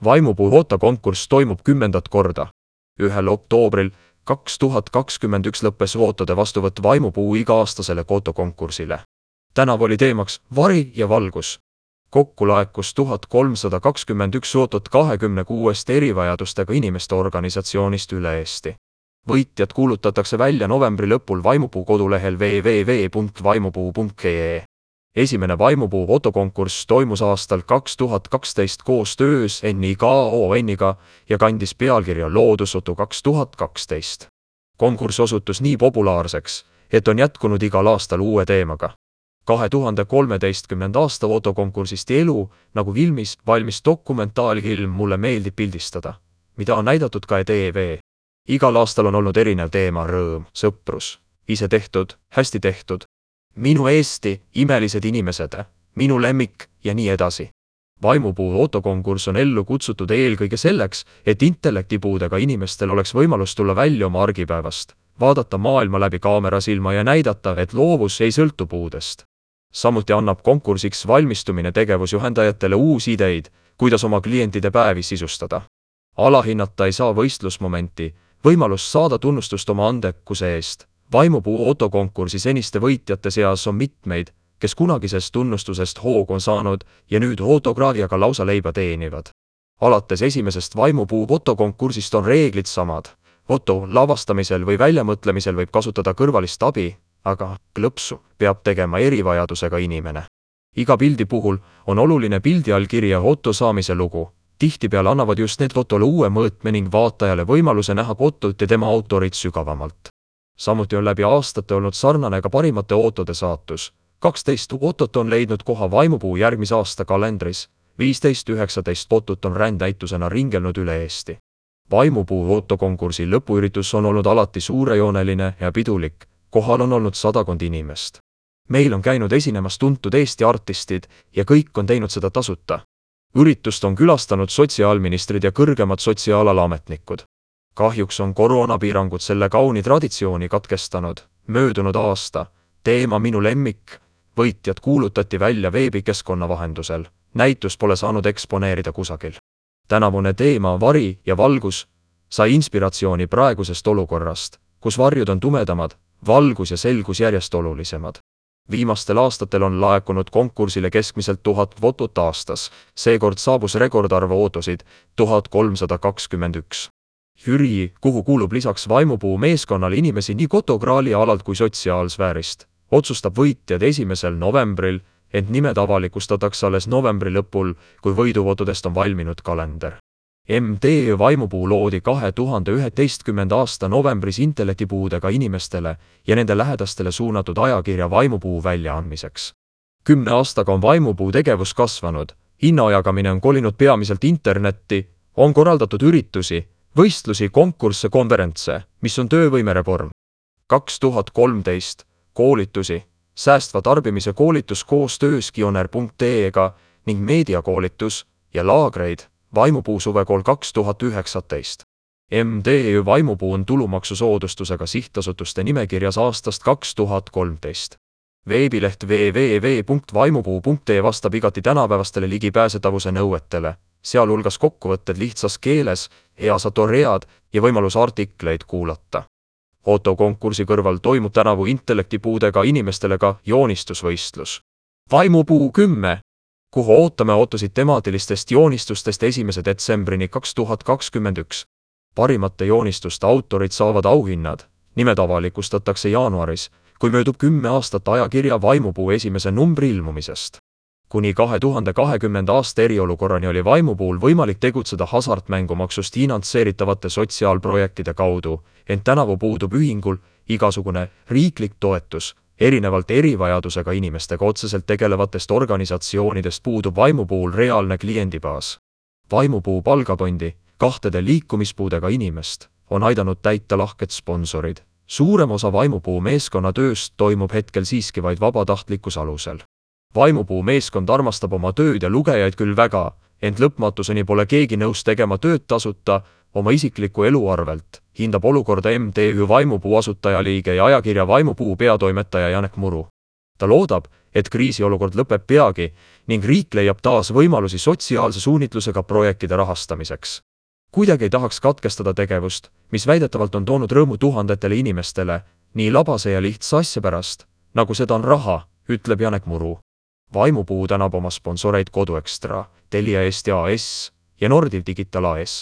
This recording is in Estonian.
Vaimupuu footokonkurss toimub 10. korda. 1. oktoobril 2021 lõppes footode vastuvõtt Vaimupuu iga-aastasele footokonkursile. Tänavu oli teemaks vari ja valgus. Kokku laekus 1321 footot 26 erivajadustega inimeste organisatsioonist üle Eesti. Võitjad kuulutatakse välja novembri lõpul Vaimupuu kodulehel www.vaimupuu.ee. Esimene Vaimupuu fotokonkurss toimus aastal 2012 koostöös NIKON-iga ja kandis pealkirja Loodusfoto 2012. Konkurss osutus nii populaarseks, et on jätkunud igal aastal uue teemaga. 2013. aasta fotokonkursist Elu, nagu filmis, valmis dokumentaalfilm Mulle meeldib pildistada, mida on näidatud ka TV. Igal aastal on olnud erinev teema: rõõm, sõprus, ise tehtud, hästi tehtud, minu Eesti, imelised inimesed, minu lemmik ja nii edasi. Vaimupuu fotokonkurss on ellu kutsutud eelkõige selleks, et intellektipuudega inimestel oleks võimalus tulla välja oma argipäevast, vaadata maailma läbi kaamerasilma ja näidata, et loovus ei sõltu puudest. Samuti annab konkursiks valmistumine tegevusjuhendajatele uusi ideid, kuidas oma klientide päevi sisustada. Alahinnata ei saa võistlusmomenti, võimalust saada tunnustust oma andekuse eest. Vaimupuu fotokonkursi seniste võitjate seas on mitmeid, kes kunagisest tunnustusest hoogu on saanud ja nüüd fotograafiaga lausa leiba teenivad. Alates esimesest Vaimupuu fotokonkursist on reeglid samad. Foto lavastamisel või väljamõtlemisel võib kasutada kõrvalist abi, aga klõpsu peab tegema erivajadusega inimene. Iga pildi puhul on oluline pildi all kirja foto saamise lugu. Tihtipeale annavad just need fotole uue mõõtme ning vaatajale võimaluse näha fotot ja tema autorit sügavamalt. Samuti on läbi aastate olnud sarnane ka parimate footode saatus. 12 fotot on leidnud koha Vaimupuu järgmise aasta kalendris, 15-19 fotot on rändnäitusena ringelnud üle Eesti. Vaimupuu fotokonkursi lõpuüritus on olnud alati suurejooneline ja pidulik, kohal on olnud 100 inimest. Meil on käinud esinemas tuntud Eesti artistid ja kõik on teinud seda tasuta. Üritust on külastanud sotsiaalministrid ja kõrgemad sotsiaalalametnikud. Kahjuks on koroonapiirangud selle kauni traditsiooni katkestanud. Möödunud aasta teema Minu lemmik võitjad kuulutati välja veebikeskkonna vahendusel. Näitus pole saanud eksponeerida kusagil. Tänavune teema Vari ja valgus sai inspiratsiooni praegusest olukorrast, kus varjud on tumedamad, valgus ja selgus järjest olulisemad. Viimastel aastatel on laekunud konkursile keskmiselt 1000 fotot aastas, seekord saabus rekordarv footosid 1321. Jüri, kuhu kuulub lisaks Vaimupuu meeskonnale inimesi nii fotograali alalt kui sotsiaalsfäärist, otsustab võitjad 1. novembril, ent nimed avalikustatakse alles novembri lõpul, kui võidufotodest on valminud kalender. MTÜ Vaimupuu loodi 2011. aasta novembris intellektipuudega inimestele ja nende lähedastele suunatud ajakirja Vaimupuu väljaandmiseks. 10 aastaga on Vaimupuu tegevus kasvanud, hinnajagamine on kolinud peamiselt internetti, on korraldatud üritusi, võistlusi, konkursse, konverentse, mis on töövõimereform. 2013 koolitusi, säästva tarbimise koolitus koostöös Kioner.ee-ga ning meediakoolitus ja laagreid, Vaimupuu suvekool 2019. MTÜ Vaimupuu on tulumaksusoodustusega sihtasutuste nimekirjas aastast 2013. Veebileht www.vaimupuu.ee vastab igati tänapäevastele ligipääsetavuse nõuetele, sealhulgas kokkuvõtted lihtsas keeles, heasatoread ja võimalus artikleid kuulata. Fotokonkursi kõrval toimub tänavu intellektipuudega inimestele ka joonistusvõistlus. Vaimupuu 10, kuhu ootame ootusid temaatilistest joonistustest 1. detsembrini 2021. Parimate joonistuste autorid saavad auhinnad, nimed avalikustatakse jaanuaris, kui möödub 10 aastat ajakirja Vaimupuu esimese numbri ilmumisest. Kuni 2020. aasta eriolukorrani oli Vaimupuul võimalik tegutseda hasartmängumaksust finantseeritavate sotsiaalprojektide kaudu, ent tänavu puudub ühingul igasugune riiklik toetus. Erinevalt erivajadusega inimestega otseselt tegelevatest organisatsioonidest puudub Vaimupuul reaalne kliendibaas. Vaimupuu palgafondi 2 liikumispuudega inimest on aidanud täita lahked sponsorid. Suurem osa Vaimupuu meeskonna tööst toimub hetkel siiski vaid vabatahtlikkuse alusel. Vaimupuu meeskond armastab oma tööd ja lugejaid küll väga, ent lõpmatuseni pole keegi nõus tegema tööd tasuta oma isikliku elu arvelt, hindab olukorda MTÜ Vaimupuu asutajaliige ja ajakirja Vaimupuu peatoimetaja Janek Muru. Ta loodab, et kriisiolukord lõpeb peagi ning riik leiab taas võimalusi sotsiaalse suunitlusega projektide rahastamiseks. Kuidagi ei tahaks katkestada tegevust, mis väidetavalt on toonud rõõmu tuhandetele inimestele, nii labase ja lihtsa asja pärast, nagu seda on raha, ütleb Janek Muru. Vaimupuu tänab oma sponsoreid Koduekstra, Telia Eesti AS ja Nordiv Digital AS.